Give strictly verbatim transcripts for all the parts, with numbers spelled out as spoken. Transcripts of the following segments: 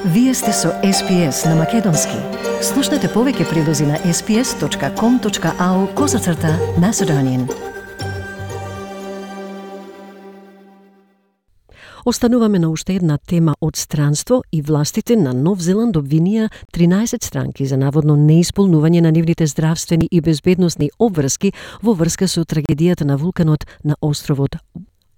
Вие сте со Ес Пи Ес на Македонски. Слушнете повеќе прилози на ес пи ес точка ком точка ау козацрта Macedonian. Остануваме на уште една тема од странство и властите на Нов Зеланд обвинија тринаесет странки за наводно неисполнување на нивните здравствени и безбедносни обврски во врска со трагедијата на вулканот на островот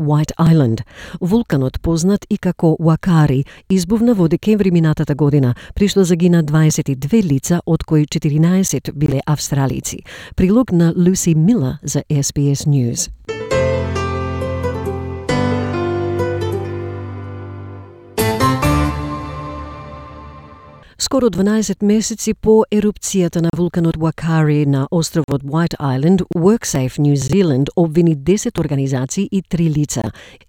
White Island. Вулканот, познат и како Уакари, избувна во декември минатата година, при што загина дваесет и две лица, од кои четиринаесет биле австралици. Прилог на Люси Мила за Ес Би Ес News. Скоро дванаесет месеци по ерупцијата на вулканот Уакари на островот White Island, WorkSafe New Zealand обвини десет организации и три лица.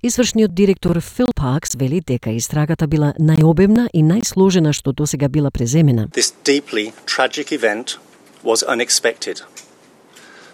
Извршниот директор Фил Паркс вели дека истрагата била најобемна и најсложена што досега била преземена. This deeply tragic event was unexpected,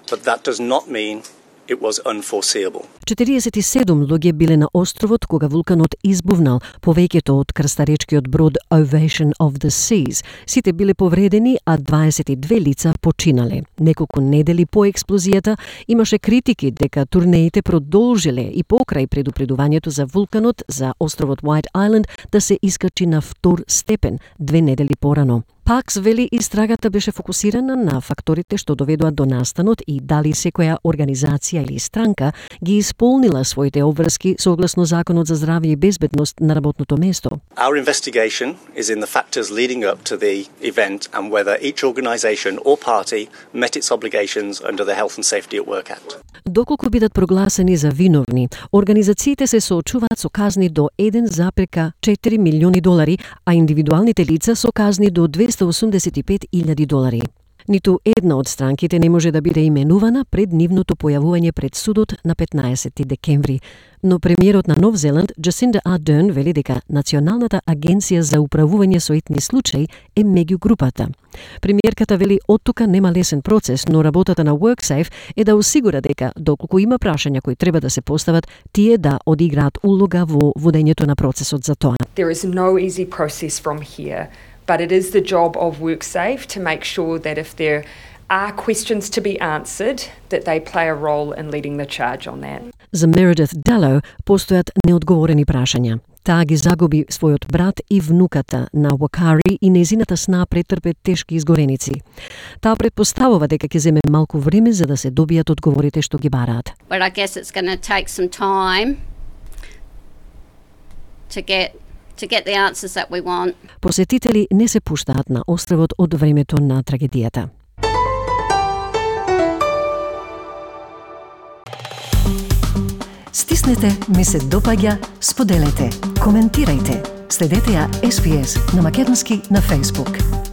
but that does not mean it was unforeseeable. четириесет и седум луѓе биле на островот кога вулканот избувнал, повеќето од крстаречкиот брод Ovation of the Seas. Сите биле повредени, а дваесет и две лица починале. Неколку недели по експлозијата имаше критики дека турнеите продолжиле и покрај предупредувањето за вулканот за островот White Island да се искачи на втор степен две недели порано. Пакс вели истрагата беше фокусирана на факторите што доведоа до настанот и дали секоја организација или странка ги исполнила своите обврски согласно Законот за здравје и безбедност на работното место. Our investigation is in the factors leading up to the event and whether each organisation or party met its obligations under the Health and Safety at Work Act. Доколку бидат прогласени за виновни, организациите се соочуваат со казни до еден запирка четири милиони долари, а индивидуалните лица со казни до двеста осумдесет и пет илјади долари. Ниту една од странките не може да биде именувана пред нивното појавување пред судот на петнаесети декември. Но премиерот на Нов Зеланд, Джасинда Ардерн, вели дека Националната агенција за управување со итни случаи е меѓу групата. Премиерката вели оттука нема лесен процес, но работата на WorkSafe е да осигура дека доколку има прашања кои треба да се постават, тие да одиграат улога во водењето на процесот за тоа. There is no easy process from here. But it is the job of WorkSafe to make sure that if there are questions to be answered, that they play a role in leading the charge on that. За Meredith Dallow постојат неодговорени прашања. Таа ги загуби својот брат и внуката на Уакари и незината сна претрпе тешки изгореници. Таа предпоставува дека ќе земе малку време за да се добијат одговорите што ги бараат. But I guess it's going to take some time to get to get the answers that we want. Посетители не се пуштаат на островот од времето на трагедијата. Стиснете, ми се допаѓа, споделете, коментирајте. Следете ја Ес Би Ес на Македонски на Facebook.